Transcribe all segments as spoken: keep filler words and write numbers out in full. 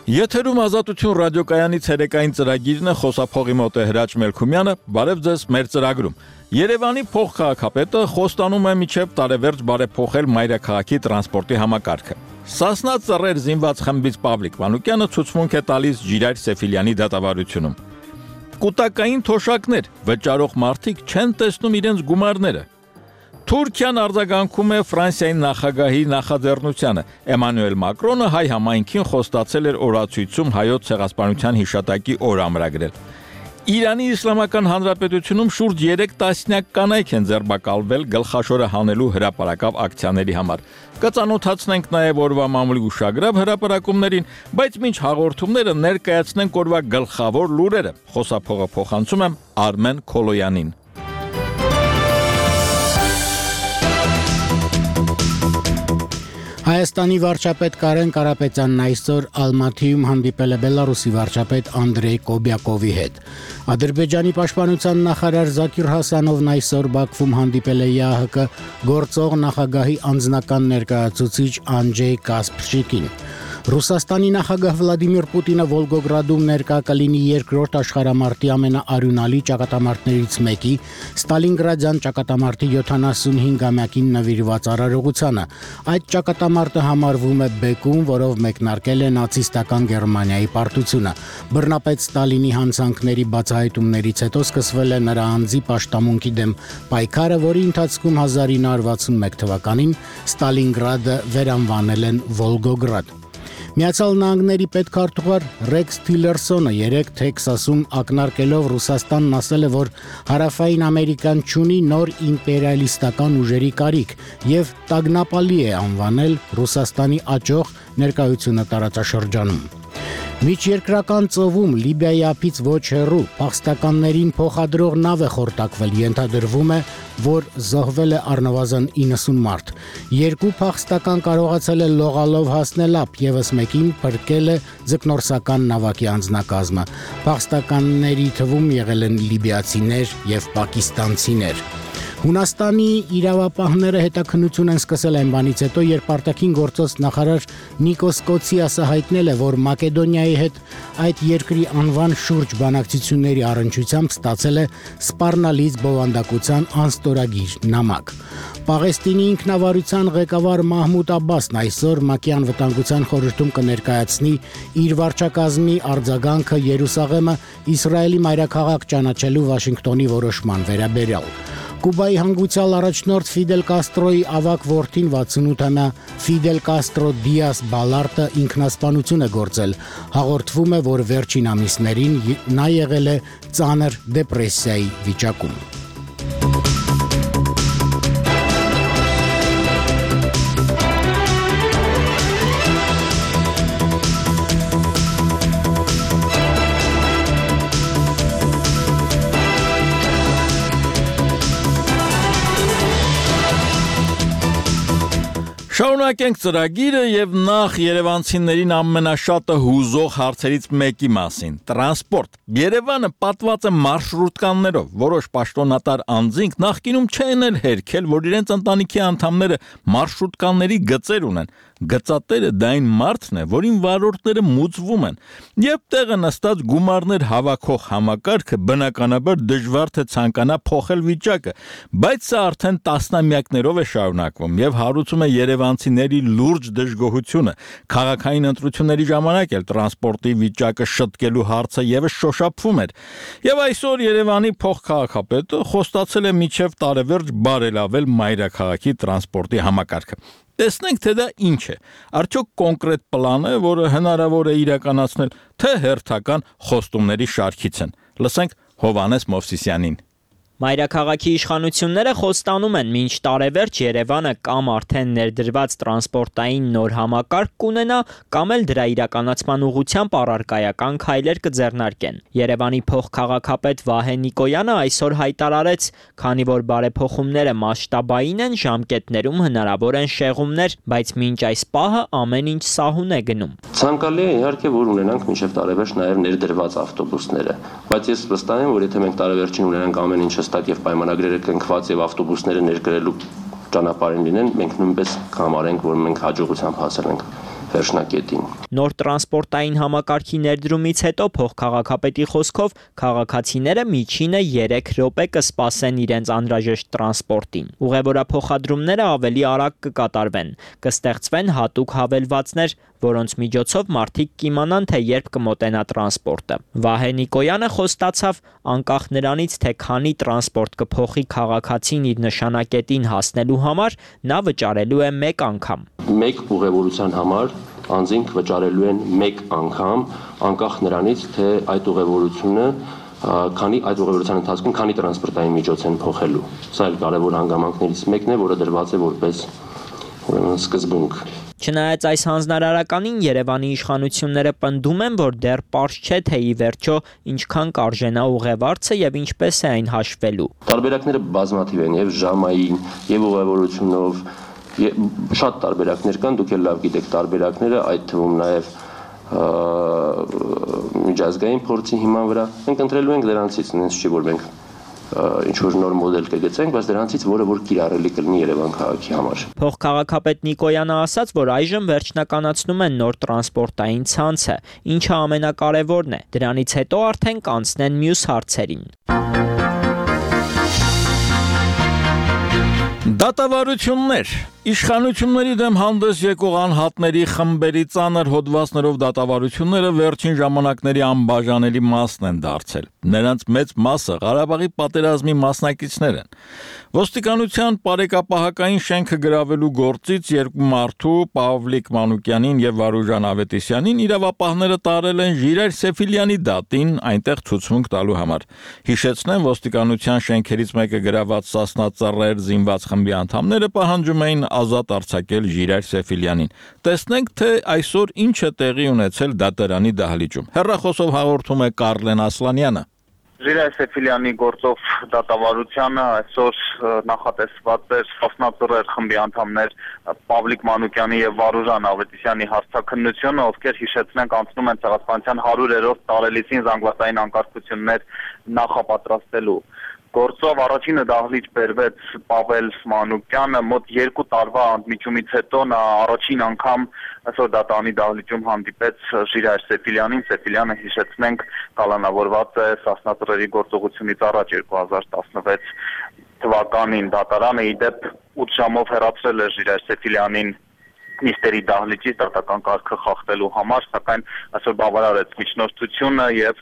Եթերում Ազատություն ռադիոկայանի ցերեկային ծրագիրն է, խոսափողի մոտ է Հրաչ Մելքումյանը, բարև ձեզ մեր ծրագրում։ Երևանի փոխքաղաքապետը խոստանում է մինչև տարեվերջ բարեփոխել մայրաքաղաքի տրանսպորտի համակարգը։ Սասնա ծռեր զինված խմբից Պավլիկ Մանուկյանը ցուցմունք է տալիս Ժիրայր Սեֆիլյանի դատավարությունում։ Կուտակային թոշակներ վճարող մարդիկ չեն տեսնում իրենց գումարները։ Թուրքիան արձագանքում է Ֆրանսիայի նախագահի նախաձեռնությանը։ Էմանուել Մակրոնը հայ համայնքին խոստացել էր օրացույցում հայոց ցեղասպանության հիշատակի օր ամրագրել։ Իրանի Իսլամական Հանրապետությունում շուրջ երեք տասնյակ կանայք են ձերբակալվել գլխաշորը հանելու հրապարակավ ակցիաների համար։ Կծանոթացնենք նաև օրվա մամուլի ուշագրավ հրապարակումներին, բայց մինչ հաղորդումները ներկայացնենք օրվա գլխավոր լուրերը։ Խոսափողը փոխանցում եմ Արմեն Քոլոյանին։ Հայաստանի վարչապետ Կարեն Կարապետյանն այսօր Ալմաթիում հանդիպել է Բելարուսի վարչապետ Անդրեյ Կոբյակովի հետ։ Ադրբեջանի պաշտպանության նախարար Զաքիր Հասանովն այսօր Բաքվում հանդիպել է ԵԱՀԿ գործող նախագահի անձնական ներկայացուցիչ Անջեյ Կասպրչիկին։ Ռուսաստանի նախագահ Վլադիմիր Պուտինը Վոլգոգրադում ներկա կլինի երկրորդ աշխարհամարտի ամենաարյունալի ճակատամարտներից մեկի Ստալինգրադյան ճակատամարտի յոթանասունհինգամյակին նվիրված արարողությանը։ Այդ ճակատամարտը համարվում է բեկում, որով մեկնարկել է նացիստական Գերմանիայի պարտությունը։ Բռնապետ Ստալինի հանցանքների բացահայտումներից հետո սկսվել է նրա անձի պաշտամունքի դեմ պայքարը, որի ընթացքում հազար ինը հարյուր վաթսունմեկ թվականին Ստալինգրադը վերանվանել են Վոլգոգրադ։ Միացյալ Նահանգների պետքարտուղար Ռեքս Թիլերսոնը երեկ Թեքսասում ակնարկելով Ռուսաստանն ասել է, որ Հարավային Ամերիկան չունի նոր իմպերիալիստական ուժերի կարիք եւ տագնապալի է անվանել Ռուսաստանի աճող ներկայությունը տարածաշրջանում։ Միջերկրական ծովում Լիբիայի ափից ոչ հեռու փախստականներին փոխադրող նավ է խորտակվել, ենթադրվում է, որ զոհվել է առնվազն իննսուն մարդ։ Երկու փախստական կարողացել է լողալով հասնել ափ, եւս մեկին փրկել է ձկնորսական նավակի անձնակազմը։ Փախստականների թվում եղել են լիբիացիներ եւ պակիստանցիներ։ Հունաստանի իրավապահները հետաքննություն են սկսել այն բանից հետո, երբ արտաքին գործոց նախարար Նիկոս Կոցիասը հայտնել է, որ Մակեդոնիայի հետ այդ երկրի անվան շուրջ բանակցությունների առնչությամբ ստացել է սպառնալից բովանդակության անստորագիր նամակ։ Պաղեստինի ինքնավարության ղեկավար Մահմուդ Աբբասն այսօր ՄԱԿ-ի անվտանգության խորհրդում կներկայացնի իր վարչակազմի արձագանքը Երուսաղեմը Իսրայելի մայրաքաղաք ճանաչելու Վաշինգտոնի որոշման վերաբերյալ։ Կուբայի հանգուցյալ առաջնորդ Ֆիդել Կաստրոյի ավագ որդին վաթսունութամյա Ֆիդել Կաստրո Դիաս Բալարտը ինքնասպանություն է գործել։ Հաղորդվում է, որ վերջին ամիսներին նա եղել է ծանր դեպրեսիայի վիճակում։ Շարունակենք ծրագիրը եւ նախ երևանցիներին ամենաշատը հուզող հարցերից մեկի մասին՝ տրանսպորտ։ Երևանը պատված է մարշրուտկաներով, որոշ պաշտոնատար անձինք նախկինում չեն էլ հերքել, որ իրենց ընտանիքի անդամները մարշրուտկաների գծեր ունեն։ Գծատերը դա այն մարդն է, որին վարորդները մուծվում են, եւ տեղը նստած գումարներ հավաքող համակարգը բնականաբար դժվար թե ցանկանա փոխել վիճակը, բայց սա արդեն տասնամյակներով է շարունակվում եւ հարուցում է երևանցիների լուրջ դժգոհությունը։ Քաղաքային ընտրությունների ժամանակ էլ տրանսպորտի վիճակը շտկելու հարցը եւս շոշափվում էր։ Եվ այսօր Երևանի փոխքաղաքապետը խոստացել է մինչև տարեվերջ բարելավել մայրաքաղաքի տրանսպորտի համակարգը։ Տեսնենք, թե դա ինչ է։ Արդյոք կոնկրետ պլան է, որը հնարավոր է իրականացնել, թե հերթական խոստումների շարքից են։ Լսենք Հովհաննես Մովսիսյանին։ Մայրաքաղաքի իշխանությունները խոստանում են մինչ տարեվերջ Երևանը կամ արդեն ներդրված տրանսպորտային նոր համակարգ կունենա, կամ էլ դրա իրականացման ուղղությամբ առարկայական քայլեր կձեռնարկեն։ Երևանի փոխքաղաքապետ Վահե Նիկոյանը այսօր հայտարարեց, քանի որ բարեփոխումները մասշտաբային են, ժամկետներում հնարավոր են շեղումներ, բայց մինչ այս պահը ամեն ինչ սահուն է գնում։ Ցանկալի է իհարկե, որ ունենանք մինչև տարեվերջ նաև ներդրված ավտոբուսները, բայց ես վստահ եմ, որ եթե մենք տարեվերջին ունենանք ամեն ինչ հստակ եւ պայմանագրերը կնքված եւ ավտոբուսները ներկրելու ճանապարհին լինեն, մենք նույնպես կհամարենք, որ մենք հաջողությամբ հասել ենք վերջնակետին։ Նոր տրանսպորտային համակարգի ներդրումից հետո փոխքաղաքապետի խոսքով քաղաքացիները միջինը երեք րոպե կսպասեն իրենց անհրաժեշտ տրանսպորտին։ Ուղևորափոխադրումները ավելի արագ կկատարվեն, կստեղծվեն հատուկ հավելվածներ, որոնց միջոցով մարդիկ կիմանան, թե երբ կմոտենա տրանսպորտը։ Վահե Նիկոյանը խոստացավ, անկախ նրանից, թե քանի տրանսպորտ կփոխի քաղաքացին իր նշանակետին հասնելու համար, նա վճարելու է մեկ անգամ։ Մեկ ուղևորության համար անձինք վճարելու են մեկ անգամ, անկախ նրանից, թե այդ ուղևորությունը քանի այդ ուղևորության ընթացքում քանի տրանսպորտային միջոց են փոխելու։ Սա էլ կարևոր հանգամանքներից մեկն է, որը դրված է որպես ուրեմն սկզբունք։ Չնայած այս հանձնարարականին Երևանի իշխանությունները պնդում են, որ դեռ պարզ չէ, թե ի վերջո ինչքան կարժենա ուղևորցը եւ ինչպես է այն հաշվելու։ Տարբերակները բազմաթիվ են եւ ժամային, եւ ուղևորությունով, շատ տարբերակներ կան, դուք էլ լավ գիտեք տարբերակները, այդ թվում նաեւ միջազգային փորձի հիման վրա։ Մենք ընտրելու ենք դրանցից, նենց չի որ մենք ինչ որ նոր մոդել կգծենք, բայց դրանցից որը որ կիրառելի կլինի Երևան քաղաքի համար։ Փոխքաղաքապետ Նիկոյանը ասաց, որ այժմ վերջնականացնում են նոր տրանսպորտային ցանցը, ինչը ամենակարևորն է։ Դրանից հետո արդեն կանցնեն մյուս հարցերին։ Դատավարություններ Իշխանությունների դեմ հանդես եկող անհատների խմբերի ծանր հոդվածներով դատավարությունները վերջին ժամանակների անբաժանելի մասն են դարձել։ Նրանց մեծ մասը Ղարաբաղի պատերազմի մասնակիցներ են։ Ոստիկանության բարեկապահական շենքը գրավելու գործից երկու մարդու Պավլիկ Մանուկյանին եւ Վարուժան Ավետիսյանին իրավապահները տարել են Ժիրայր Սեֆիլյանի դատին այնտեղ ցուցմունք տալու համար։ Հիշեցնեմ, ոստիկանության շենքերից մեկը գրաված Սասնա Ծռեր զինված խմբի անդամները պահանջում էին ազատ արձակել Ժիրայր Սեֆիլյանին։ Տեսնենք, թե այսօր ինչ է տեղի ունեցել դատարանի դահլիճում։ Հեռախոսով հաղորդում է Կարլեն Ասլանյանը։ Ժիրայր Սեֆիլյանի գործով դատավարությանը այսօր նախատեսված էր Սասնա Ծռեր խմբի անդամներ Պավլիկ Մանուկյանի եւ Վարուժան Ավետիսյանի հարցաքննությունը, ովքեր հիշեցնենք անցնում են ցեղասպանության հարյուրերորդ տարելիցին զանգվածային անկարգություններ նախապատրաստելու։ Գործով առաջինը դահլիճ բերվեց Պավել Մանուկյանը, մոտ երկու տարվա ընդմիջումից հետո նա առաջին անգամ այսօր դատարանի դահլիճում հանդիպեց Ժիրայր Սեֆիլյանին։ Սեֆիլյանը, հիշեցնենք, կալանավորված է Սասնա Ծռերի գործողությունից առաջ երկու հազար տասնվեց թվականին։ Դատարանը ի դեպ ութ ժամով հեռացրել է Ժիրայր Սեֆիլյանին նիստերի դահլիճից դատական կարգը խախտելու համար, սակայն այսօր բավարարեց միջնորդությունը եւ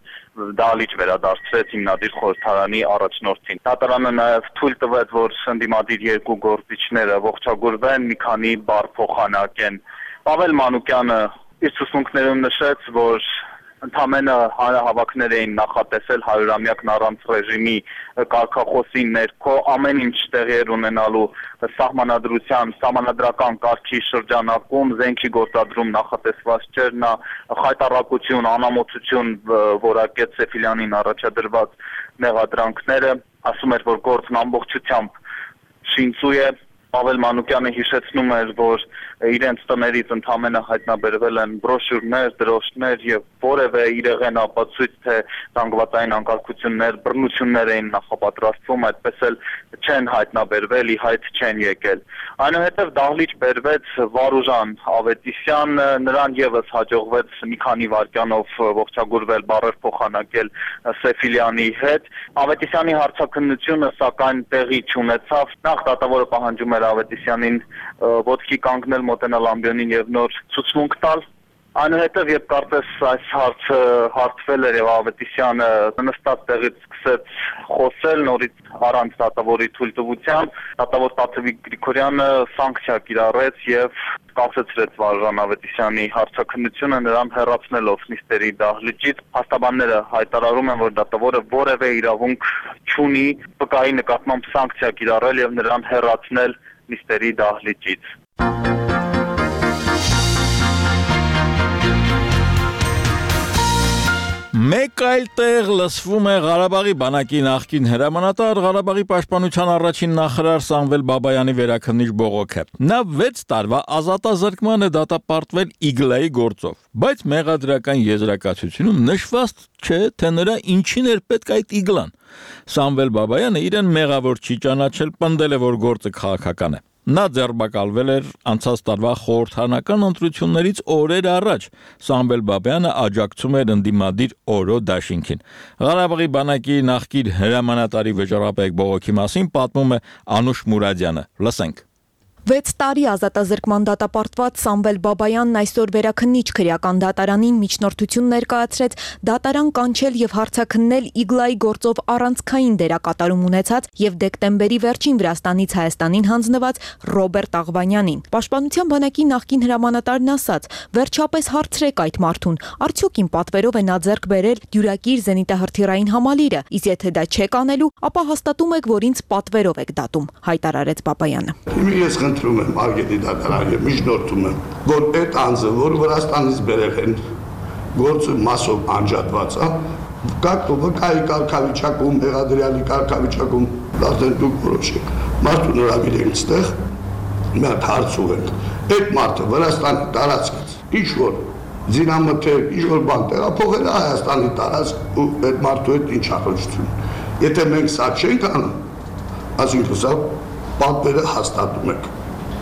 դահլիճ վերադարձրեց հիմնադիր խորհրդարանի առաջնորդին։ Դատարանը նաեւ թույլ տվեց, որ ընդդիմադիր երկու գործիչները ողջագուրվեն, մի քանի բառ փոխանակեն։ Պավել Մանուկյանը իր ցուցմունքներում նշեց, որ ընդամենը հանրահավաքներ էին նախատեսել հարյուրամյակն առանց ռեժիմի կարգախոսի ներքո, ամեն ինչ տեղի էր ունենալու սահմանադրության, սահմանադրական կարգի շրջանակում, զենքի գործադրում նախատեսված չէր, նա խայտառակություն, անամոթություն որակեց Սեֆիլյանին առաջադրված մեղադրանքները, ասում էր, որ գործն ամբողջությամբ շինծու է։ Պավել Մանուկյանը հիշեցնում էր, որ իրենց տներից ընդամենը հայտնաբերվել են բրոշյուրներ, դրոշներ եւ որևէ իրեղեն ապացույց, թե զանգվածային անկարգություններ, բռնություններ էին նախապատրաստվում, այդպես էլ չեն հայտնաբերվել, ի հայտ չեն եկել։ Այնուհետև դահլիճ բերվեց Վարուժան Ավետիսյան, նրան եւս հաջողվեց մի քանի վայրկյանով ողջագուրվել, բառեր փոխանակել Սեֆիլյանի հետ։ Ավետիսյանի հարցաքննությունը սակայն տեղի չունեցավ։ Նախ դատավորը պահանջում էր Ավետիսյանին ոտքի կանգնել, մոտենալ ամբիոնին եւ նոր ցուցմունք տալ։ Այնուհետև երբ կարծես այս հարցը հարթվել էր եւ Ավետիսյանը նստած տեղից սկսեց խոսել նորից առանց դատավորի թույլտվության, դատավոր Տաթևիկ Գրիգորյանը սանկցիա կիրառեց եւ կասեցրեց Վարուժան Ավետիսյանի հարցաքննությունը, նրան հեռացնելով նիստերի դահլիճից։ Փաստաբանները հայտարարում են, որ դատավորը որևէ իրավունք չունի վկայի նկատմամբ սանկցիա կիրառել եւ նրան հեռացնել նիստերի դահլիճից։ Մեկ այլ տեղ լսվում է Ղարաբաղի բանակի նախկին հրամանատար, Ղարաբաղի պաշտպանության առաջին նախարար Սամվել Բաբայանի վերաքննիչ բողոքը։ Նա վեց տարվա ազատազրկման է դատապարտվել Իգլայի գործով, բայց մեղադրական եզրակացությունում նշված չէ, թե նրա ինչին էր պետք այդ Իգլան։ Սամվել Բաբայանը իրեն մեղավոր չի ճանաչել, պնդել է, որ գործը քաղաքական է։ Նա ձերբակալվել էր անցած տարվա խորհրդարանական ընտրություններից օրեր առաջ։ Սամվել Բաբայանը աջակցում էր ընդդիմադիր Օրո դաշինքին։ Ղարաբաղի բանակի նախկին հրամանատարի վճռապեկ բողոքի մասին պատմում է Անուշ Մուրադյանը։ Լսենք։ վեց տարի ազատազրկման դատապարտված Սամվել Բաբայանն այսօր վերաքննիչ քրեական դատարանին միջնորդություն ներկայացրեց դատարան կանչել եւ հարցաքննել Իգլայի գործով առանցքային դերակատարում ունեցած եւ դեկտեմբերի վերջին Վրաստանից Հայաստանին հանձնված Ռոբերտ Աղվանյանին։ Պաշտպանության բանակի նախկին հրամանատարն ասաց. «Վերջապես հարցրեք այդ մարդուն, արդյոք իմ պատվերով է նա ձեռք բերել դյուրակիր զենիտահրթիռային համալիրը, իսկ եթե դա չեք անելու, ապա հաստատում եք, որ ինձ պատվերով եք դատում», հայտարարեց Բաբայանը։ Խնդրում եմ Արգետի դատարանը միջնորդում եմ, որ այդ անձը, որ Վրաստանից բերել են, գործը մասով անջատված է, как վկայի կարգավիճակում, մեղադրյալի կարգավիճակում, արդեն դուք որոշեք, մարդու նորագիր ենք ստեղ, մի հատ հարց ուղենք, այդ մարդը Վրաստանի տարածքից, ինչ որ ձինամթեր, ինչ որ բան տեղափոխել է Հայաստանի տարածք ու այդ մարդու հետ ինչ առողջություն։ Եթե մենք սա չենք անում, այսինքն սա պատվերը հաստատում եք։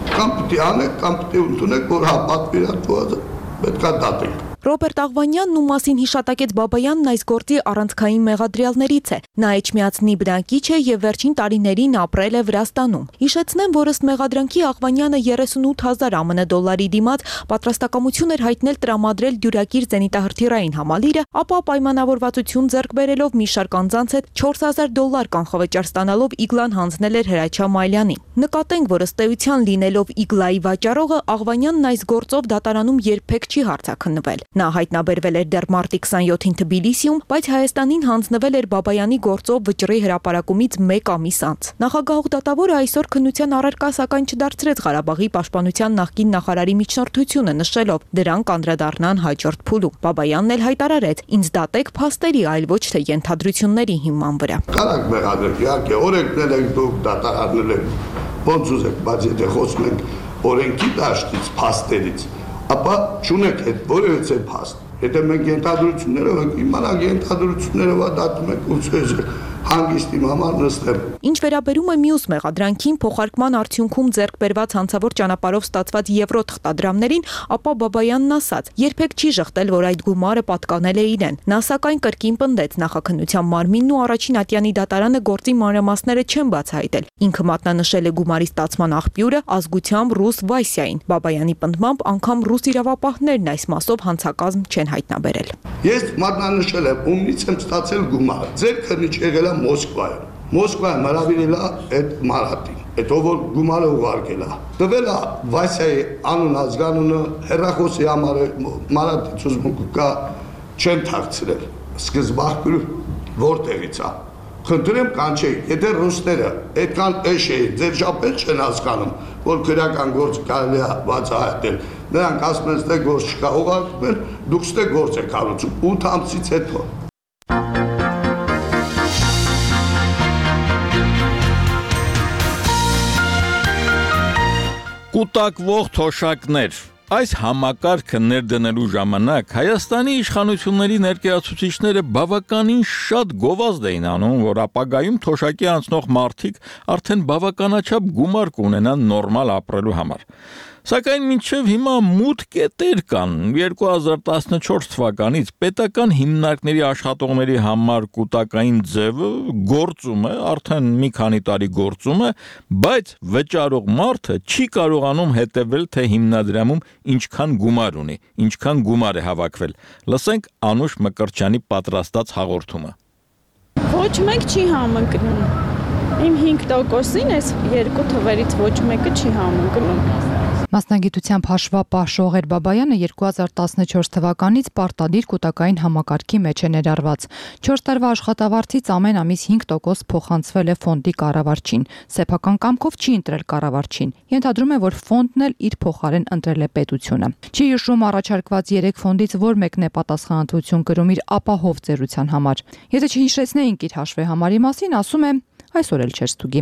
Կամ պիտի անեք, կամ պիտի ընդունեք, որ հա պատվիրատուածը պետք է դատենք։ Ռոբերտ Աղվանյանն, ում մասին հիշատակեց Բաբայանն, այս գործի առանցքային մեղադրյալներից է։ Նա Էջմիածնի բնակիչ է եւ վերջին տարիներին ապրել է Վրաստանում։ Հիշեցնեմ, որ ըստ մեղադրանքի Աղվանյանը երեսունութ հազար ԱՄՆ դոլարի դիմաց պատրաստակամություն էր հայտնել տրամադրել դյուրակիր զենիտահրթիռային համալիրը, ապա պայմանավորվածություն ձեռք բերելով մի շարք անձանց հետ չորս հազար դոլար կանխավճար ստանալով Իգլան հանձնել էր Հրաչյա Մայլյանին։ Նկատենք, որ ըստ էության լինելով Իգլայի վաճառողը, Աղվանյանն այս գործով դատարանում երբեք չի հարցաքննվել։ Նա հայտնաբերվել էր դեռ մարտի քսանյոթին Թբիլիսիում, բայց Հայաստանին հանձնվել էր Բաբայանի գործով վճռի հրապարակումից մեկ ամիս անց։ Նախագահող դատավորը այսօր քննության առարկա սակայն չդարձրեց Ղարաբաղի պաշտպանության նախկին նախարարի միջնորդությունը, նշելով դրանք անդրադառնան հաջորդ փուլում։ Բաբայանն էլ հայտարարեց. «Ինձ դատեք փաստերի, այլ ոչ թե ենթադրությունների հիման վրա»։ Կարակ մեղադրեք, իհարկե, օրենքներ եք դուք դատարաններ եք, ոնց ուզեք, բայց եթե խոսում ենք օրենքի դաշտից, փաստերից, ապա չունեք այդ որևէ փաստ։ Եթե մենք ենթադրություններով ենք իմանանք ենթադրություններով դատում ենք ու ցույց հանգիստի համար նստել։ Ինչ վերաբերում է մյուս մեղադրանքին, փոխարկման արդյունքում ձեռք բերված հանցավոր ճանապարհով ստացված եվրո թղթադրամներին, ապա Բաբայանն ասաց. «Երբեք չի ժխտել, որ այդ գումարը պատկանել է իրեն»։ Նա սակայն կրկին պնդեց նախաքննության մարմինն ու առաջին ատյանի դատարանը գործի մանրամասները չեն բացահայտել։ Ինքը մատնանշել է գումարի ստացման աղբյուրը ազգությամբ ռուս Վասյային։ Բաբայանի պնդմամբ անգամ ռուս իրավապահներն այս մասով հանցակազմ չեն հայտնաբերել։ Ես մատնանշել եմ, ումնից եմ ստացել գումարը։ Ձեր քննիչ եղել է Մոսկվայում։ Մոսկվայում հրավիրել է այդ Մարատին, այդ ով որ գումարը ուղարկել է։ Տվել է Վասյայի անուն ազգանունը, հեռախոսի համարը, Մարատից ուզում կա չեն թաքցրել։ Սկզբաղբյուրը որտեղից է։ Խնդրեմ կանչեք, եթե ռուսները այդքան էշ էին, ձեր շապել չեն հասկանում, որ քրեական գործ կարելի է բացահայտել։ Նրանք ասում են, թե գործ չկա, ուղարկում են, դուք ստե գործ եք հարուցում ութ ամսից հետո։ Կուտակվող թոշակներ։ Այս համակարգը ներդնելու ժամանակ Հայաստանի իշխանությունների ներկայացուցիչները բավականին շատ գովազդ էին անում, որ ապագայում թոշակի անցնող մարդիկ արդեն բավականաչափ գումար կունենան նորմալ ապրելու համար։ Սակայն մինչև հիմա մութ կետեր կան։ երկու հազար տասնչորս թվականից պետական հիմնարկների աշխատողների համար կուտակային ձևը գործում է, արդեն մի քանի տարի գործում է, բայց վճարող մարդը չի կարողանում հետևել, թե հիմնադրամում ինչքան գումար ունի, ինչքան գումար է հավաքվել։ Լսենք Անուշ Մկրտչյանի պատրաստած հաղորդումը։ Ոչ մեկ չի համընկնում։ Իմ հինգ տոկոսին այս երկու թվերից ոչ մեկը չի համընկնում։ Մասնագիտությամբ հաշվապահ Շողեր Բաբայանը երկու հազար տասնչորս թվականից պարտադիր կուտակային համակարգի մեջ է ներառված։ չորս տարվա աշխատավարձից ամեն ամիս հինգ տոկոս փոխանցվել է ֆոնդի կառավարչին։ Սեփական կամքով չի ընտրել կառավարչին։ Ենթադրում է, որ ֆոնդն էլ իր փոխարեն ընտրել է պետությունը։ Չի հիշում առաջարկված երեք ֆոնդից որ մեկն է պատասխանատվություն կրում իր ապահով ծերության համար։ Եթե չհիշեցնեինք իր հաշվեհամարի մասին, ասում է այսօր էլ չէր ստուգի։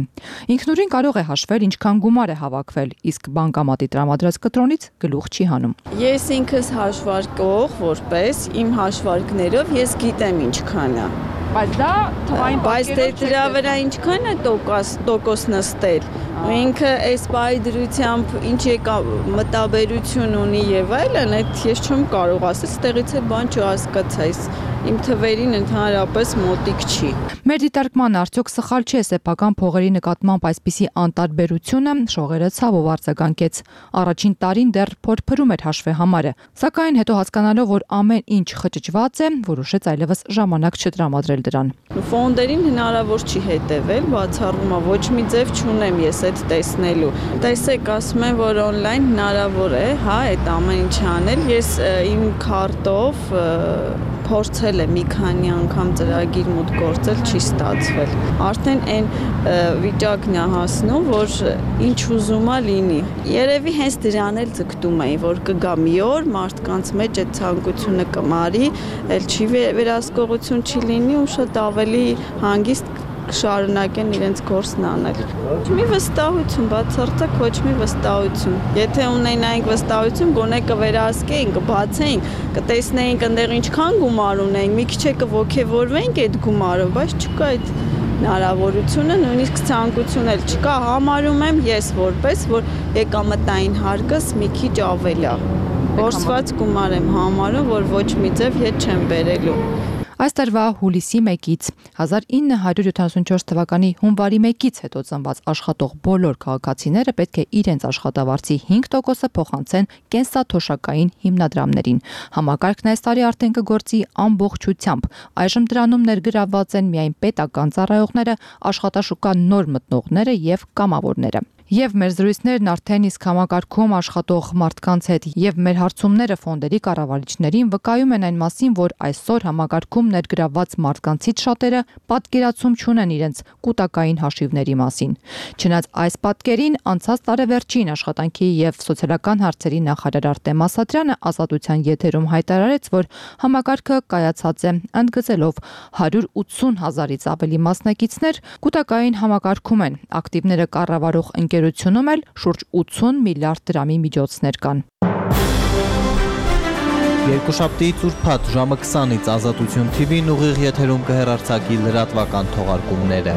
Ինքնուրույն կարող է հաշվել ինչքան գումար է հավաքվել, իսկ բանկամատի տրամադրած կտրոնից գլուխ չի հանում։ Ես ինքս հաշվարկող որպես իմ հաշվարկներով ես գիտեմ ինչքան է։ Բայց դա թվային բայց դե դրա վրա ինչքան է տոկոս տոկոս նստել։ Ինքը այս բայ դրությամբ ինչ եկա մտաբերություն ունի եւ այլն, այդ ես չեմ կարող ասել, ստեղից է բան չհասկացա, այս իմ թվերին ընդհանրապես մոտիկ չի։ Մեր դիտարկման արդյոք սխալ չէ սեփական փողերի նկատմամբ այսպիսի անտարբերությունը, շողերը ցավով արձագանքեց։ Առաջին տարին դեռ փորփրում էր հաշվեհամարը, սակայն հետո հասկանալով, որ ամեն ինչ խճճված է, որոշեց այլևս ժամանակ չտրամադրել դրան։ Ֆոնդերին հնարավոր չի հետևել, բացառումը ոչ մի ձև չունեմ ես այդ տեսնելու։ Տեսեք, ասում են, որ on-line հնարավոր է, հա, այդ ամեն ինչ անել։ Ես իմ քարտով փորձել եմ մի քանի անգամ ծրագիր մոտ գործել, չի ստացվել։ Արդեն այն վիճակն է հասնում, որ ինչ ուզում է լինի։ Երևի հենց դրան էլ ձգտում էին, որ կգա մի օր, մարդկանց մեջ այդ ցանկությունը կմարի, էլ չի վերահսկողություն չի լինի ու շատ ավելի հանգիստ կշարունակեն իրենց գործն անել։ Ոչ մի վստահություն, բացարձակ ոչ մի վստահություն։ Եթե ունենայինք վստահություն, գոնե կվերահսկեինք, կբացեինք, կտեսնեինք այնտեղ ինչքան գումար ունենք, մի քիչ կողքեվորվենք այդ գումարով, բայց չկա այդ հնարավորությունը, նույնիսկ ցանկություն էլ չկա, համարում եմ ես որպես, որ եկամտային հարկս մի քիչ ավել է։ Որսված գումար եմ համարում, որ ոչ մի ձև հետ չեմ բերելու։ Այս տարվա հուլիսի մեկից հազար ինը հարյուր յոթանասունչորս թվականի հունվարի մեկից հետո ծնված աշխատող բոլոր քաղաքացիները պետք է իրենց աշխատավարձի հինգ տոկոսը փոխանցեն կենսաթոշակային հիմնադրամներին։ Համակարգն այս տարի արդեն կգործի ամբողջությամբ։ Այժմ դրանում ներգրավված են միայն պետական ծառայողները, աշխատաշուկա նոր մտնողները եւ կամավորները։ Եվ մեր զրույցներն արդեն իսկ համակարգում աշխատող մարդկանց հետ եւ մեր հարցումները ֆոնդերի կառավարիչներին վկայում են այն մասին, որ այսօր համակարգում ներգրավված մարդկանցից շատերը պատկերացում չունեն իրենց կൂട്ടակային հաշիվների մասին։ Չնայած այս պատկերին անցած տարեվերջին աշխատանքի եւ սոցիալական հարցերի նախարար Արտեմ Ասատրյանը Ազատության եթերում հայտարարեց, որ համակարգը կայացած է ընդգծելով հարյուր ութսուն հազարից ավելի մասնակիցներ կൂട്ടակային համակարգում են, ակտիվները կառավարող ընկերությունում էլ շուրջ ութսուն միլիարդ դրամի միջոցներ կան։ Երկուշաբթի ծուրփաթ ժամը քսանից Ազատություն թի վին ուղիղ եթերում կհեռարձակի լրատվական թողարկումները։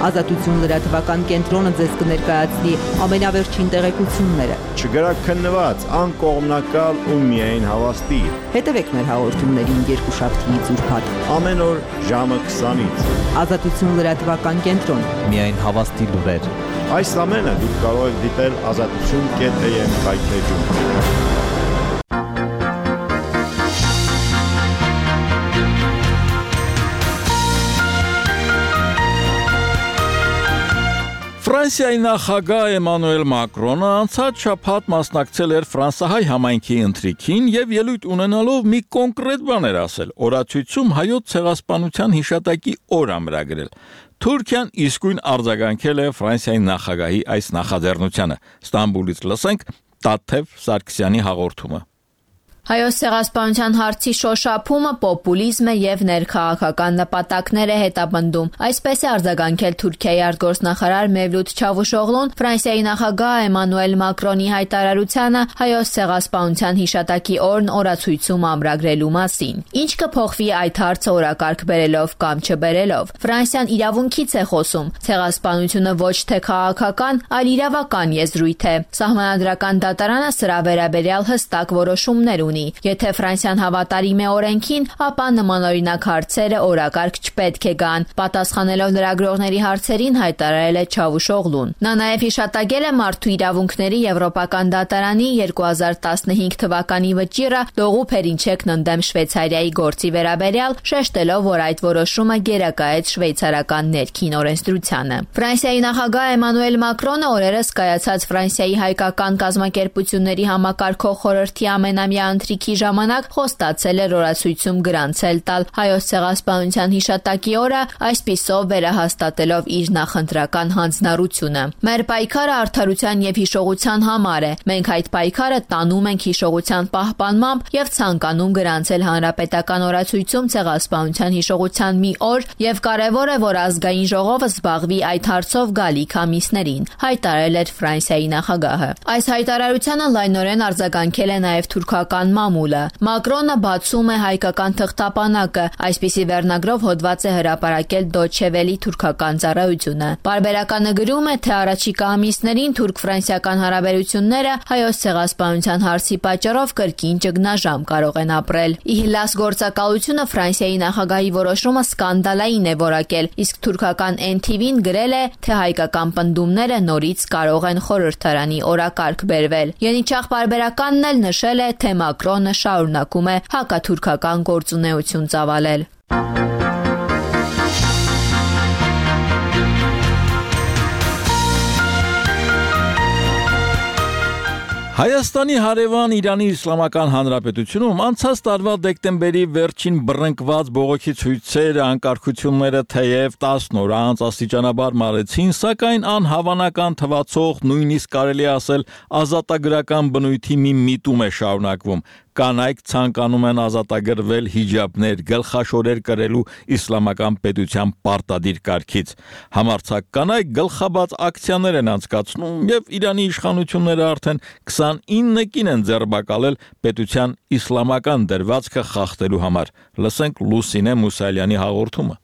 Ազատություն լրատվական կենտրոնը ձեզ կներկայացնի ամենավերջին տեղեկությունները։ Չգրաքննված, անկողմնակալ ու միայն հավաստի։ Հետևեք մեր հաղորդումներին երկուշաբթի ծուրփաթ ամեն օր ժամը քսանից։ Ազատություն լրատվական կենտրոն։ Միայն հավաստի լուրեր։ Այս ամենը դուք կարող եք դիտել ազատություն կետ է եմ կայքեջում։ Ֆրանսիայի նախագահ Էմանուել Մակրոնը անցած շաբաթ մասնակցել էր ֆրանսահայ համայնքի ընթրիքին եւ ելույթ ունենալով մի կոնկրետ բան էր ասել։ Օրացույցում հայոց ցեղասպանության հիշատակի օր ամրագրել։ Թուրքիան իսկույն արձագանքել է Ֆրանսիայի նախագահի այս նախաձեռնությանը։ Ստամբուլից լսենք Տաթև Սարգսյանի հաղորդումը։ Հայոց ցեղասպանության հարցի շոշափումը պոպուլիզմ է եւ ներքաղաքական նպատակներ է հետապնդում։ Այսպես է արձագանքել Թուրքիայի արտգործնախարար Մևլութ Չավուշօղլուն Ֆրանսիայի նախագահ Էմանուել Մակրոնի հայտարարությանը հայոց ցեղասպանության հիշատակի օրն օրացույցում ամրագրելու մասին։ Ինչ կփոխվի այդ հարցը օրակարգ բերելով կամ չբերելով։ Ֆրանսիան իրավունքից է խոսում։ Ցեղասպանությունը ոչ թե քաղաքական, այլ իրավական եզրույթ է։ Սահմանադրական դատարանը սրա վերաբերյալ հստակ որոշումներ ունի։ Եթե Ֆրանսիան հավատարիմ է օրենքին, ապա նմանօրինակ հարցերը օրակարգ չպետք է գան, պատասխանելով լրագրողների հարցերին հայտարարել է Չավուշօղլուն։ Նա նաև հիշատակել է մարդու իրավունքների Եվրոպական դատարանի երկու հազար տասնհինգ թվականի վճիռը լողուփերինչեկն ընդդեմ Շվեյցարիայի գործի վերաբերյալ, շեշտելով, որ այդ որոշումը գերակայեց շվեյցարական ներքին օրենսդրությանը։ Ֆրանսիայի նախագահ Էմանուել Մակրոնը օրերս կայացած Ֆրանսիայի հայկական կազմակերպությունների համակարգող խորհրդի ամենամյա ընթրիքի ժամանակ խոստացել էր օրացույցում գրանցել տալ հայոց ցեղասպանության հիշատակի օրը, այսպիսով վերահաստատելով իր նախընտրական հանձնառությունը։ Մեր պայքարը արդարության եւ հիշողության համար է։ Մենք այդ պայքարը տանում ենք հիշողության պահպանմամբ եւ ցանկանում գրանցել հանրապետական օրացույցում ցեղասպանության հիշողության մի օր եւ կարեւոր է, որ ազգային ժողովը զբաղվի այդ հարցով գալիք ամիսներին, հայտարարել էր Ֆրանսիայի նախագահը։ Այս հայտարարությանը լայնորեն արձագանքել է նաեւ թուրքական մամուլը։ Մակրոնը բացում է հայկական թղթապանակը, այսպիսի վերնագրով հոդված է հրապարակել Deutsche Welle թուրքական ծառայությունը։ Պարբերականը գրում է, թե առաջիկա ամիսներին թուրք-ֆրանսիական հարաբերությունները հայոց ցեղասպանության հարցի պատճառով կրկին ճգնաժամ կարող են ապրել։ Իհլաս գործակալությունը Ֆրանսիայի նախագահի որոշումը սկանդալային է որակել, իսկ թուրքական N T V-ն գրել է, թե հայկական պնդումները նորից կարող են խորհրդարանի օրակարգ բերվել։ Յենիչախ պարբերականն էլ նշել է, թե Մակրոնը շարունակում է հակաթուրքական գործունեություն ծավալել։ Հայաստանի հարևան Իրանի Իսլամական Հանրապետությունում անցած տարվա դեկտեմբերի վերջին բռնկված բողոքի ցույցերը, անկարգությունները թեև տասն օր անց աստիճանաբար մարեցին, սակայն անհավանական թվացող, նույնիսկ կարելի ասել ազատագրական բնույթի մի միտում է շարունակվում։ Կանայք ցանկանում են ազատագրվել հիջաբներ, գլխաշորեր կրելու իսլամական պետության պարտադիր կարգից։ Համարձակ կանայք գլխաբաց ակցիաներ են անցկացնում եւ Իրանի իշխանությունները արդեն քսանինը կին են ձերբակալել պետության իսլամական դրվածքը խախտելու համար։ Լսենք Լուսինե Մուսալյանի հաղորդումը։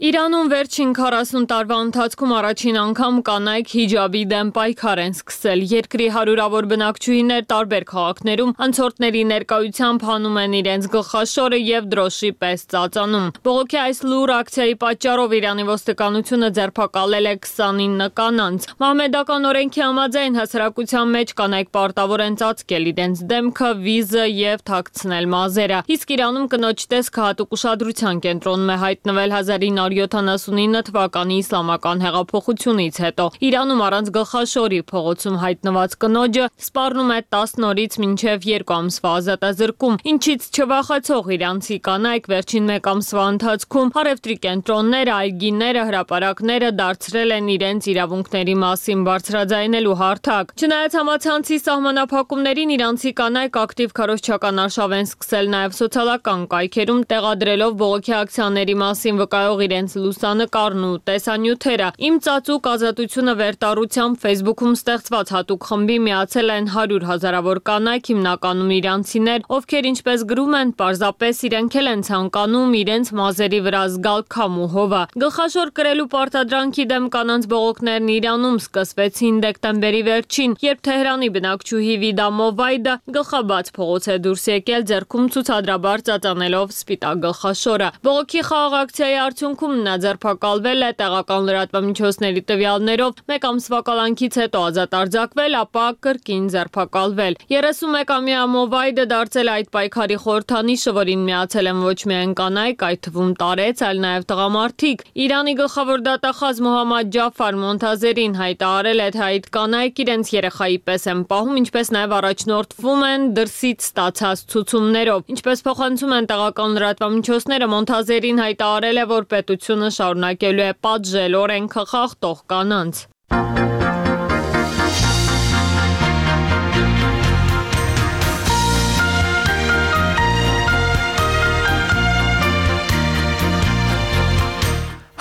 Իրանում վերջին քառասուն տարվա ընթացքում առաջին անգամ կանայք հիջաբի դեմ պայքար են սկսել։ Երկրի հարյուրավոր բնակչուհիներ տարբեր քաղաքներում անցորդների ներկայությամբ հանում են իրենց գլխաշորը եւ դրոշի պես ծածանում։ Բողոքի այս լուր ակցիայի պատճառով Իրանի ոստիկանությունը ձերբակալել է քսանինը կանանց։ Մահմեդական օրենքի համաձայն հասարակության մեջ կանայք պարտավոր են ծածկել իրենց դեմքը, վիզը եւ թաքցնել մազերը։ Իսկ Իրանում կնոջ տեսքը հատուկ ուշադրության կենտրոնում է հայտնվել հազար ինը հարյուր յոթանասունինը թվականի իսլամական հեղափոխությունից հետո։ Իրանում առանց գլխաշորի փողոցում հայտնված կնոջը սպառնում է տասն օրից մինչև երկու ամսվա ազատազրկում, ինչից չվախեցող իրանցի կանայք վերջին մեկ ամսվա ընթացքում առևտրի կենտրոնները, այգիները, հրապարակները դարձրել են իրենց իրավունքների մասին բարձրաձայնելու հարթակ։ Չնայած համացանցի սահմանափակումներին, իրանցի կանայք ակտիվ քարոզչական արշավ են սկսել նաև սոցիալական կայքերում, տեղադրելով բողոքի ակցիաների մասին վկայող իրենց լուսանկարն ու տեսանյութերը։ Իմ ծածուկ ազատությունը վերտառությամբ Facebook-ում ստեղծված հատուկ խմբի միացել են հարյուր հազարավոր կանայք, հիմնականում իրանցիներ, ովքեր ինչպես գրում են, պարզապես իրենք էլ են ցանկանում իրենց մազերի վրա զգալ քամ ու հովա։ Գլխաշոր կրելու պարտադրանքի դեմ կանանց բողոքներն Իրանում սկսվեցին դեկտեմբերի վերջին, երբ Թեհրանի բնակչուհի Վիդա Մովայդը գլխաբաց փողոց է դուրս եկել, ձեռքում ցուցադրաբար ծածանելով սպիտակ գլխաշորը։ Բողոքի խաղաղ ակցիայի արդյունքում նա ձերբակալվել է տեղական լրատվամիջոցների տվյալներով, մեկ ամսվա կալանքից հետո ազատ արձակվել, ապա կրկին ձերբակալվել։ երեսունմեկամյա Մովայդը դարձել է այդ պայքարի խորհրդանիշը, որին միացել են ոչ միայն կանայք, այդ թվում տարեց, այլ նաև տղամարդիկ։ Իրանի գլխավոր դատախազ Մոհամմադ Ջաֆար Մոնթազերին հայտարարել է, թե այդ կանայք իրենց երեխայի պես են պահում, ինչպես նաև առաջնորդվում են դրսից ստացած ցուցումներով։ Ինչպես փոխանցում են տեղական լրատվամիջոցները, Մոնթազերին հայտարարել է, որ պետությունը շարունակելու է պատժել օրենքը խախտող կանանց։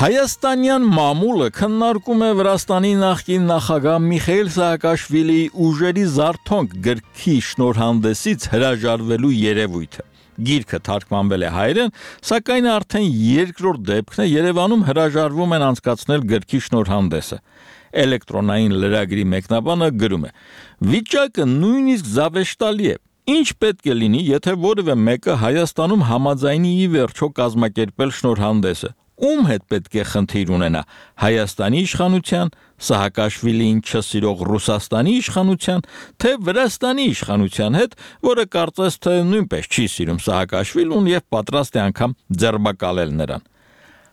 Հայաստանյան մամուլը քննարկում է Վրաստանի նախկին նախագահ Միխայիլ Սահակաշվիլիի ուժերի զարթոնք գրքի շնորհանդեսից հրաժարվելու երևույթը։ Գիրքը թարգմանվել է հայերեն, սակայն արդեն երկրորդ դեպքն է Երևանում հրաժարվում են անցկացնել գրքի շնորհանդեսը։ Էլեկտրոնային լրագրի մեկնաբանը գրում է. «Վիճակը նույնիսկ զավեշտալի է։ Ինչ պետք է լինի, եթե որևէ մեկը Հայաստանում համաձայնի ի վերջո կազմակերպել շնորհանդեսը։ Ում հետ պետք է խնդիր ունենա, Հայաստանի իշխանության, Սահակաշվիլիին չսիրող Ռուսաստանի իշխանության, թե Վրաստանի իշխանության հետ, որը կարծես թե նույնպես չի սիրում Սահակաշվիլուն եւ պատրաստ է անգամ ձերբակալել նրան։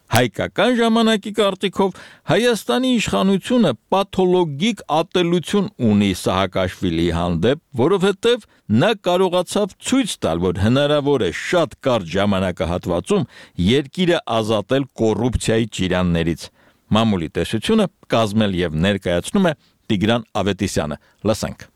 Հայկական ժամանակի կարծիքով Հայաստանի իշխանությունը պաթոլոգիկ ատելություն ունի Սահակաշվիլիի հանդեպ, որովհետև նա կարողացավ ցույց տալ, որ հնարավոր է շատ կարճ ժամանակահատվածում երկիրը ազատել կոռուպցիայի ճիրաններից։ Մամուլի տեսությունը կազմել եւ ներկայացնում է Տիգրան Ավետիսյանը։ Լսենք։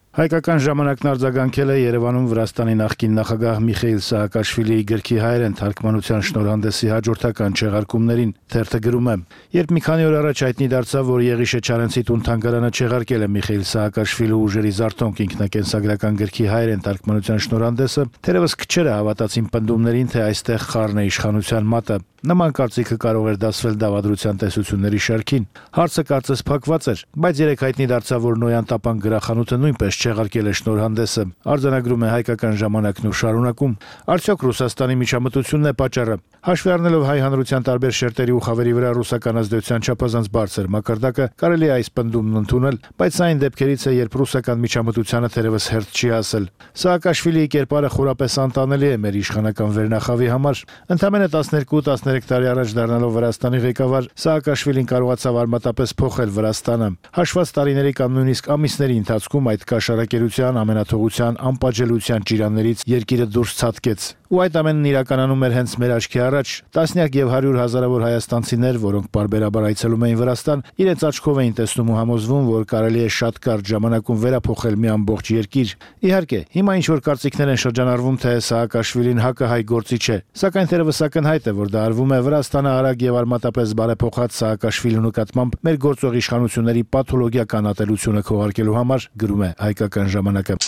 Հայկական ժամանակն արձագանքել է Երևանում Վրաստանի նախկին նախագահ Միխեիլ Սահակաշվիլիի գրքի հայերեն թարգմանության շնորհանդեսի հաջորդական չեղարկումներին։ Թերթը գրում է. Երբ մի քանի օր առաջ հայտնի դարձավ, որ Եղիշե Չարենցի տուն-թանգարանը չեղարկել է Միխեիլ Սահակաշվիլու ուժերի զարթոնք ինքնակենսագրական գրքի հայերեն թարգմանության շնորհանդեսը, թերևս քչերը հավատացին պնդումներին, թե այստեղ խառն է իշխանության մատը։ Նման կարծիքը կարող էր դասվել դավադրության տեսությունների շարքին։ Հարցը կարծես փակված էր, բայց երեք հայտնի դարձավ, որ Նոյան տապան գրախանութը նույնպես չեղարկել է շնորհանդեսը։ Արձանագրում է Հայկական ժամանակն ու շարունակում. Արդյոք Ռուսաստանի միջամտությունն է պատճառը։ Հաշվի առնելով հայ հանրության տարբեր շերտերի ու խավերի վրա ռուսական ազդեցության չափազանց բարձր մակարդակը, կարելի է այս պնդումն ընդունել, բայց սա այն դեպքերից է, երբ ռուսական միջամտությանը թերևս հերթ չի հասել։ Սահակաշվիլիի կերպարը խորապես անտանելի է մեր իշխանական վերնախավի համար։ Ընդամենը տասներկու տասներեք տարի առաջ դառնալով Վրաստանի ղեկավար, Սահակաշվիլին կարողացավ արմատապես փոխել Վրաստանը։ Հաշված տարիների կամ նույնիսկ ամիսների ընթացքում այդ կաշառակերության, ամենաթողության, անպատժելիության ճիրաններից երկիրը դուրս ցատկեց։ Ու այդ ամենն իրականանում էր հենց մեր աչքի առաջ։ Տասնյակ եւ հարյուր հազարավոր հայաստանցիներ, որոնք պարբերաբար այցելում էին Վրաստան, իրենց աչքով էին տեսնում ու համոզվում, որ կարելի է շատ կարճ ժամանակում վերափոխել մի ամբողջ երկիր։ Իհարկե, հիմա ինչ որ կարծիքներ են շրջանառվում, թե Սահակաշվիլին հակահայ գործիչ է, սակայն թերևս ակնհայտ է, որ դա արվում է Վրաստանը արագ եւ արմատապես բարեփոխած Սահակաշվիլու նկատմամբ մեր գործող իշխանությունների պաթոլոգիական ատելությունը քողարկելու համար, գրում է Հայկական ժամանակը։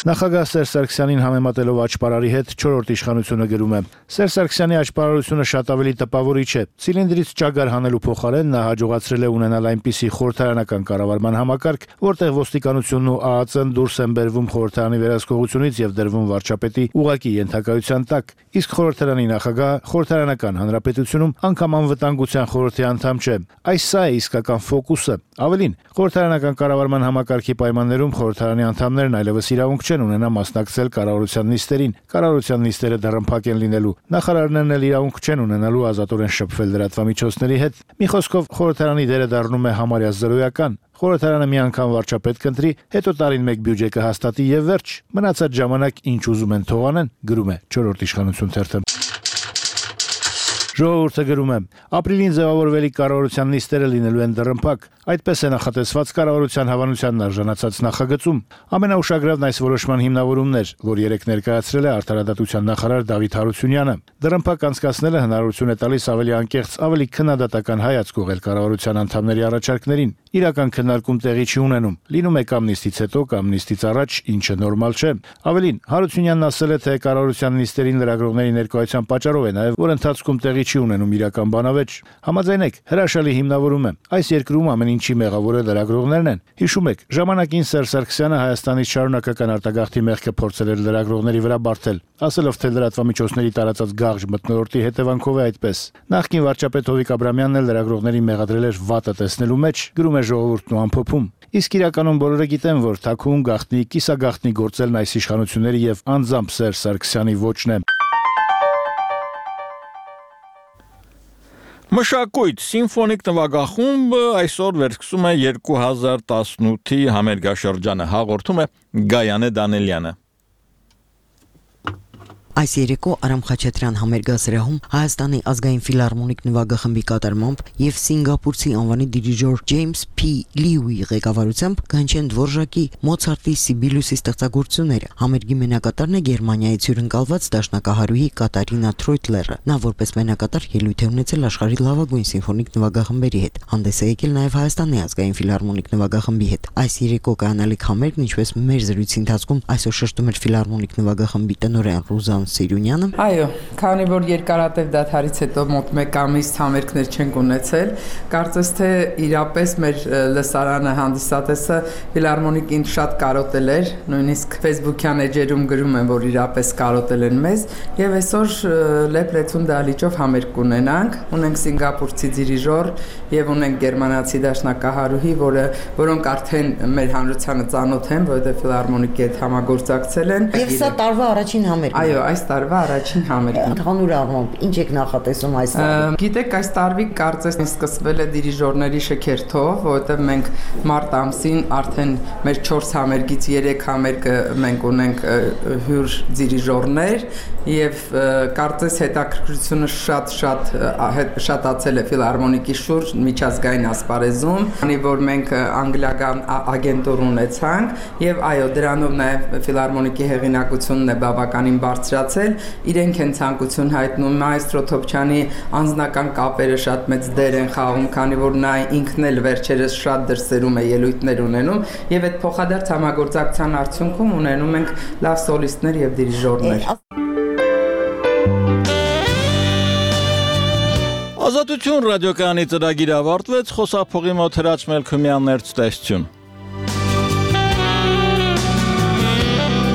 Նախագահ Սերժ Սարգսյանին համեմատելով աճպարարի հետ չորրորդ իշխանությունը գրում է. Սերժ Սարգսյանի աճպարարությունը շատ ավելի տպավորիչ է։ Ցիլինդրից ճագար հանելու փոխարեն նա հաջողացրել է ունենալ այնպիսի խորհրդարանական կառավարման համակարգ, որտեղ ոստիկանությունն ու ԱԱԾ-ն դուրս են բերվում խորհրդարանի վերահսկողությունից եւ դրվում վարչապետի ուղակի ենթակայության տակ։ Իսկ խորհրդարանի նախագահը խորհրդարանական հանրապետությունում անգամ անվտանգության խորհրդի անդամ չէ։ Այս սա է իսկական ֆոկուսը։ Ավելին, խորհրդարանական կառավարման համակարգի պայմաններում խորհրդարանի անդամներն այլևս իրավունք չեն ունենա մասնակցել կառավարության նիստերին։ Կառավարության նիստերը դռնփակ են լինելու։ Նախարարներն էլ իրավունք չեն ունենալու ազատորեն շփվել լրատվամիջոցների հետ։ Մի խոսքով, խորհրդարանի դերը դառնում է համարյա զրոյական։ Խորհրդարանը մի անգամ վարչապետ կընտրի, հետո տարին մեկ բյուջե կհաստատի եւ վերջ։ Մնացած ժամանակ ինչ ուզում են թողանեն, գրում է չորրորդ իշխանություն թերթը։ Ժողովուրդը գրում է. ապրիլին ձևավորվելիք կառավարության նիստերը լինելու են դռնփակ։ Այդպես է նախատեսված կառավարության հավանությանն արժանացած նախագծում։ Ամենաուշագրավն այս որոշման հիմնավորումն էր, որ երեք ներկայացրել է Արդարադատության նախարար Դավիթ Հարությունյանը։ Դռնփակ անցկացնելը հնարավորություն է տալիս ավելի անկեղծ, ավելի քննադատական հայացք ուղղել կառավարության անդամների առաջարկներին։ Իրական քննարկում տեղի չի ունենում։ Լինում է կամ նիստից հետո, կամ նիստից առաջ, ինչը նորմալ չէ։ Ավելին, Հարությունյանն ասել է, թե կառավարության նիստերին լրագրողների ներկայության պատճառով է նաև, որ ընթացքում տեղի չի ունենում իրական բանավեճ։ Համաձայնեք, հրաշալի հիմնավորում է։ Այս երկրում ամեն ինչի մեղավորը լրագրողներն են։ Հիշում եք, ժամանակին Սերժ Սարգսյանը Հայաստանից շարունակական արտագաղթի մեղքը փորձել էր լրագրողների վրա բարթել, ասելով, թե լրատվամիջոցների տարածած գաղժ մթնոլորտի հետևանքով է այդպես։ Նախկին վարչապետ Հովիկ Աբրամյանն էլ լրագրողներին մեղադրել էր վատը տեսնելու մեջ, գրում է Ժողովուրդն ու ամփոփում։ Իսկ իրականում բոլորը գիտեն, որ թաքուն գաղտնի, կիսագաղտնի գործելն այս իշխանությունների եւ անձամբ Սերժ Սարգսյանի ոճն է։ Մշակույթ սիմֆոնիկ նվագախումբը այսօր վերսկսում է երկու հազար տասնութի համերգաշրջանը, հաղորդում է Գայանե Դանելյանը։ Այս երեկո Արամ Խաչատրյան համերգասրահում Հայաստանի ազգային ֆիլհարմոնիկ նվագախմբի կատարմամբ եւ սինգապուրցի անվանի դիրիժոր Ջեյմս Փի Լիուի ղեկավարությամբ կանչեն Դվորժակի Մոցարտի Սիբիլյուսի ստեղծագործությունները։ Համերգի մենակատարն է Գերմանիայից հյուրընկալված դաշնակահարուհի Կատարինա Թրոյտլերը։ Նա որպես մենակատար ելույթ է ունեցել աշխարհի լավագույն սիմֆոնիկ նվագախմբերի հետ։ Հանդես է եկել նաեւ Հայաստանի ազգային ֆիլհարմոնիկ նվագախմբի հետ։ Այս երեկո կանալիք համերգն, ինչպես մեր զրույցի ընթացքում այսօր շեշտում էր ֆիլհարմոնիկ նվագախմբի տնօրեն Ռուզան Սիրունյանը։ Այո, քանի որ երկարատև դադարից հետո մոտ մեկ ամիս համերգներ չենք ունեցել, կարծես թե իրապես մեր լսարանը հանդիսատեսը ֆիլհարմոնիկին շատ կարոտել էր, նույնիսկ Facebook-յան էջերում գրում են, որ իրապես կարոտել են մեզ, եւ այսօր լեփլեցուն դահլիճով համերգ կունենանք, ունենք սինգապուրցի դիրիժոր եւ ունենք գերմանացի դաշնակահարուհի, որը որոնք արդեն մեր հանրությանը ծանոթ են, որովհետեւ ֆիլհարմոնիկի հետ համագործակցել են։ Եվ սա տարվա առաջին համերգն է։ Այո, այս տարվա առաջին համերգն։ Ընդհանուր առմամբ ինչ եք նախատեսում այս տարի։ Գիտեք, այս տարվի կարծես սկսվել է դիրիժորների շքերթով, որովհետև մենք մարտ ամսին արդեն մեր չորս համերգից երեք համերգը մենք ունենք հյուր դիրիժորներ եւ կարծես հետաքրքրությունը շատ-շատ շատացել է ֆիլհարմոնիկի շուրջ միջազգային ասպարեզում, քանի որ մենք անգլիական ագենտուր ունեցանք եւ այո, դրանով նաեւ ֆիլհարմոնիկի հեղինակությունն է բավականին բարձրացել, իրենք են ցանկություն հայտնում Մայստրո Թոփչյանի անձնական կապերը շատ մեծ դեր են խաղում, քանի որ նա ինքն էլ վերջերս շատ դրսերում է ելույթներ ունենում եւ այդ փոխադարձ համագործակցության արդյունքում ունենում ենք լավ սոլիստներ եւ դիրիժորներ։ Ազատություն ռադիոկայանի ծրագիրը ավարտվեց, խոսափողի մոտ Հրաչ Մելքումյաններ ցտեսություն։